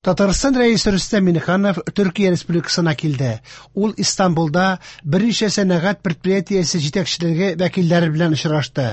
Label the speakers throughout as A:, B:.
A: Татарстан Рәисе Рөстәм Миңнеханов Төркия Республикасына килде. Ул Истанбулда берничә сәнәгать предприятиесе җитәкчелеге вәкилләре белән очрашты.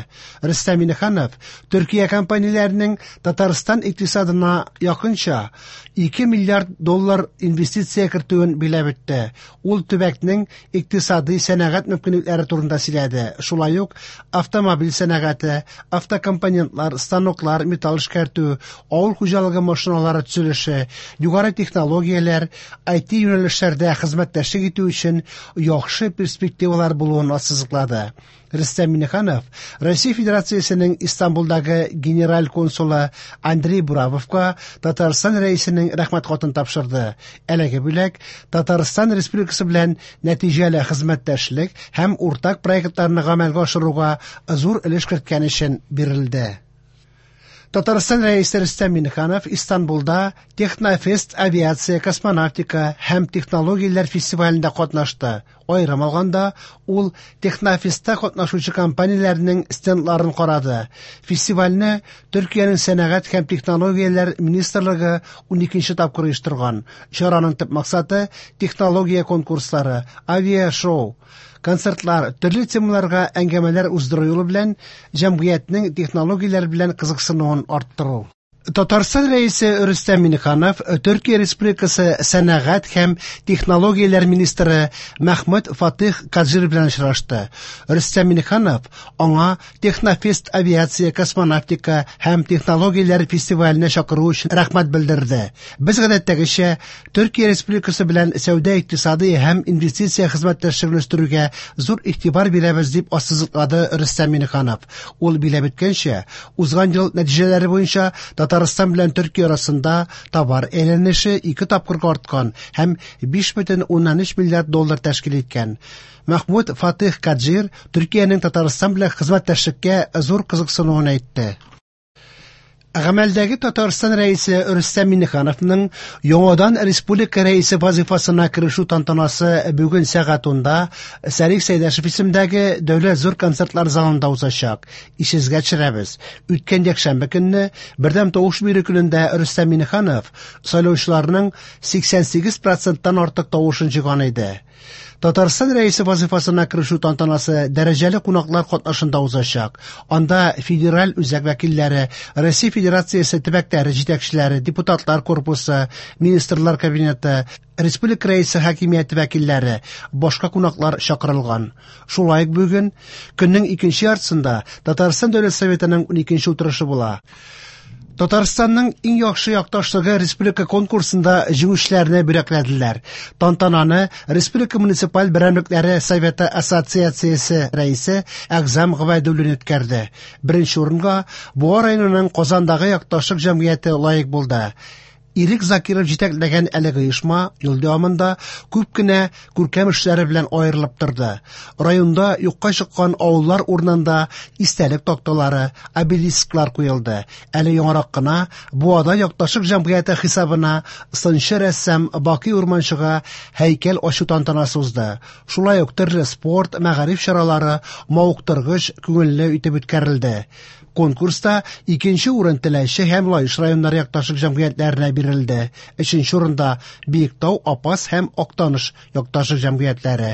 A: Рөстәм Миңнеханов Төркия компанияләренең Татарстан икътисадына якынча 2 миллиард доллар инвестиция кертүен биләп үтте. Ул төбәкнең икътисадый сәнәгать мөмкинлекләре турында сөйләде. Шулай ук автомобиль сәнәгате, автокомпонентлар, станоклар, металл эшкәртү, авыл хуҗалыгы машиналары төзелеше, югары технологияләр, IT юнәлешләрдә хезмәттәшлек итү өчен яхшы перспективалар булуын ассызыклады. Рөстәм Миңнеханов Россия Федерациясенең Истанбулдагы генераль консулы Андрей Буравовка Татарстан Рәисенең рәхмәт хатын тапшырды. Әлеге бүләк Татарстан Республикасы белән нәтиҗәле хезмәттәшлек һәм уртак проектларны гамәлгә ашыруга зур өлеш керткән өчен бирелде. Татарстан Рәисе Рөстәм Миңнеханов Истанбулда Технофест авиация, космонавтика һәм технологияләр фестивалендә катнашты. Аерым алганда, ул Технофестта катнашучы компанияләрнең стендларын карады. Фестивальне Төркиянең сәнәгать һәм технологияләр министрлыгы 12 тапкыр оештырган. Чараның төп максаты технология конкурслары, авиашоу, концертлар, төрле темаларга әңгәмәләр уздыру юлы белән җәмгыятьнең технологияләр белән кызыксынуын арттыру. Татарстан Рәисе Рөстәм Миңнеханов Төркия Республикасы сәнәгать һәм технологияләр министры Мәхмүт Фатих Каджир белән очрашты. Рөстәм Миңнеханов аңа Технофест авиация, космонавтика һәм технологияләр фестиваленә чакыру өчен рәхмәт белдерде. Без гадәттәгечә Төркия Республикасы белән сәүдә-икътисадый һәм инвестиция хезмәттәшлеген үстерүгә зур игътибар бирәбез, дип ассызыклады Рөстәм Миңнеханов. Ул биләп үткәнчә, узган ел нәтиҗәләре буенча Татарстан белән Төркия арасында товар әйләнеше ике тапкырга арткан һәм 5,3 миллиард доллар тәшкил иткән. Мәхмүт Фатих Каджир Төркиянең Татарстан белән хезмәттәшлеккә зур кызыксынуын әйтте. Гамәлдәге Татарстан Рәисе Рөстәм Миңнехановның яңадан республика Рәисе вазифасына керешү тантанасы бүген сәгать 10-да Сәрих Сәйдәшев исемендәге Дәүләт зур концертлар залында узачак. Исегезгә төшерәбез, үткән якшәмбе көнне бердәм тавыш бирү көнендә Рөстәм Миңнеханов сайлаучыларның 88 проценттан артык тавышын җыйган иде. Татарстан Рәисе вазифасына керешү тантанасы дәрәҗәле кунаклар катнашында узачак. Анда федераль үзәк вәкилләре, Россия Федерациясе төбәкләре җитәкчеләре, депутатлар корпусы, министрлар кабинеты, республика Рәисе хакимияте вәкилләре, башка кунаклар чакырылган. Шулай ук бүген көннең икенче яртысында Татарстан Дәүләт Советының 12 утырышы була. Татарстанның иң яхшы якташлыгы республика конкурсында җиңүчеләрне бүләкләделәр. Тантананы Республика муниципаль берәмлекләре Советы ассоциациясе рәисе Әгъзам Гобәйдуллин үткәрде. Беренче урынга Буа районының Казандагы якташлык җәмгыяте лаек булды. Ирек Закиров җитәкләгән әлеге оешма ел дәвамында күп кенә күркәм эшләре белән аерылып торды. Районда юкка чыккан авыллар урынында истәлек такталары, обелисклар куелды. Әле яңарак кына Буада якташлык җәмгыяте хисабына сынчы рәссам Бакый Урманчыга һәйкәл ачу тантанасы узды. Шулай ук төрле спорт, мәгариф чаралары мавыктыргыч, күңелле итеп үткәрелде. Конкурста икенче урын Теләче һәм Лаеш районнары якташлык җәмгыятьләренә бирелде. Өченче урында Биектау, Апас һәм Актаныш якташлык җәмгыятьләре.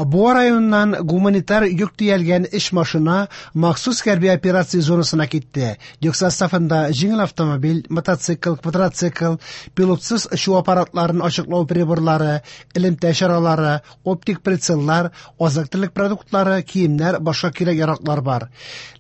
A: Буа районыннан гуманитар йөк төялгән өч машина махсус хәрби операция зонасына китте. Йөк составында җиңел автомобиль, мотоцикл, квадроцикл, пилотсыз очу аппаратларын ачыклау приборлары, элемтә чаралары, оптик прицеллар, азык-төлек продуктлары, киемнәр, башка кирәк-яраклар бар.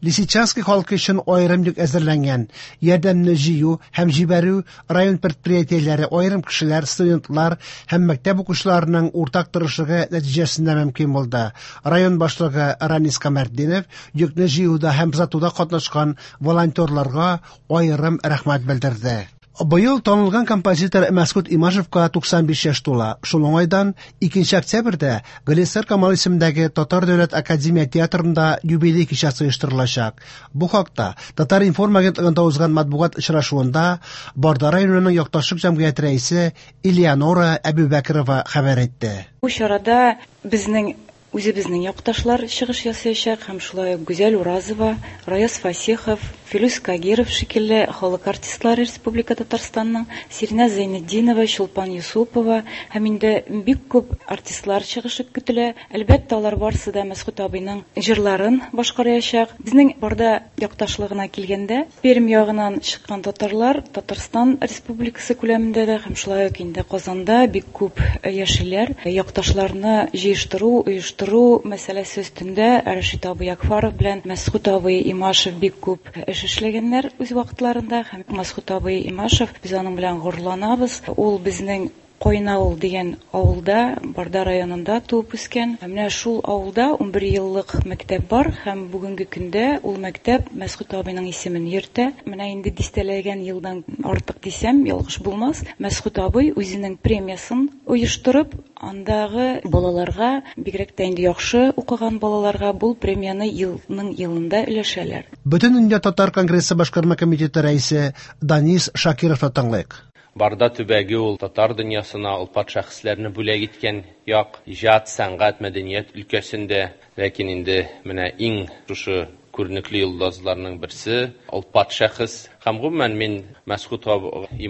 A: Лисичанский халкы өчен аерым йөк әзерләнгән. Ярдәмне җыю һәм җибәрү район предприятиеләре, аерым кешеләр, студентлар һәм мәктәп укучыларының уртак тырышлыгы нәтиҗәсендә мөмкин булды. Район башлыгы Ранис Камәртдинов йөкне җыюда һәм озатуда катнашкан волонтерларга аерым рәхмәт белдерде. Быел танылган композитор Мәсгут Имашевка 95 яшь тула. Шул уңайдан 2 октябрьдә Галиәсгар Камал исемендәге Татар дәүләт академия театрында юбилей кичәсе оештырылачак. Бу хакта Татар-информ агентлыгында узган матбугат очрашуында Барда районының якташлык җәмгыяте рәисе Элеонора Әбүбәкерова хәбәр итте.
B: Бу чарада безнең үзебезнең якташлар чыгыш ясаячак һәм шулай ук Гүзәл Уразова, Раяз Фасихов, Филүс Кагиров шикелле халык артистлары Республика Татарстанның, Сиринә Зәйнетдинова, Чулпан Юсупова һәм инде бик күп артистлар чыгышы көтелә. Әлбәттә, алар барысы да Мәсгуть абыйның җырларын башкараячак. Безнең Барда якташлыгына килгәндә, Пермь ягыннан чыккан татарлар Татарстан Республикасы күләмендә дә һәм шулай ук инде Казанда бик күп яшиләр. Якташларны җыештыру, оештыру мәсьәләсе өстендә Рәшит абый Ягфаров белән Мәсгуть абый Имашев бик күп эш эшләгәннәр үз вакытларында. Һәм Мәсгуть абый Имашев, без аның белән горурланабыз. Ул безнең Кайнавыл дигән авылда, Барда районында туып үскән. Менә шул авылда 11 еллык мәктәп бар һәм бүгенге көндә ул мәктәп Мәсгуть абыйның исемен йөртә. Менә инде дистәләгән елдан артык дисәм, ялгыш булмас. Мәсгуть абый үзенең премиясын оештырып, андагы балаларга, бигрәк тә инде яхшы укыган балаларга бу премияне елның елында өләшәләр.
A: Бөтендөнья татар конгрессы башкарма комитеты рәисе Данис Шакировны тыңлыйк.
C: Барда төбәге ул татар дөньясына олпат шәхесләрне бүләк иткән як, иҗат, сәнгать, мәдәният өлкәсендә. Ләкин инде менә иң шушы күренекле йолдызларның берсе олпат шәхес. Һәм гомумән мин Мәсгут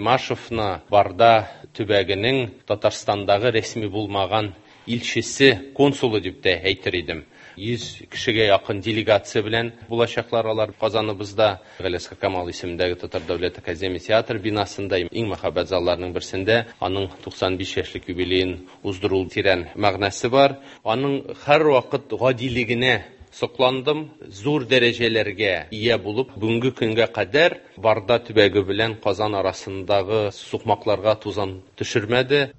C: Имашевны Барда төбәгенең Татарстандагы рәсми булмаган илчесе, консулы дип тә әйтер идем. 100 кешегә якын делегация белән булачаклар алар Казаныбызда. Галиәсгар Камал исемендәге Татар дәүләт академия театр бинасында иң мәһабәт залларның берсендә аның 95 яшьлек юбилеен уздыру тирән мәгънәсе бар. Аның һәрвакыт гадилегенә сокландым, зур дәрәҗәләргә ия булып, бүгенге көнгә кадәр Барда төбәге белән Казан арасындагы сукмакларга тузан төшермәде.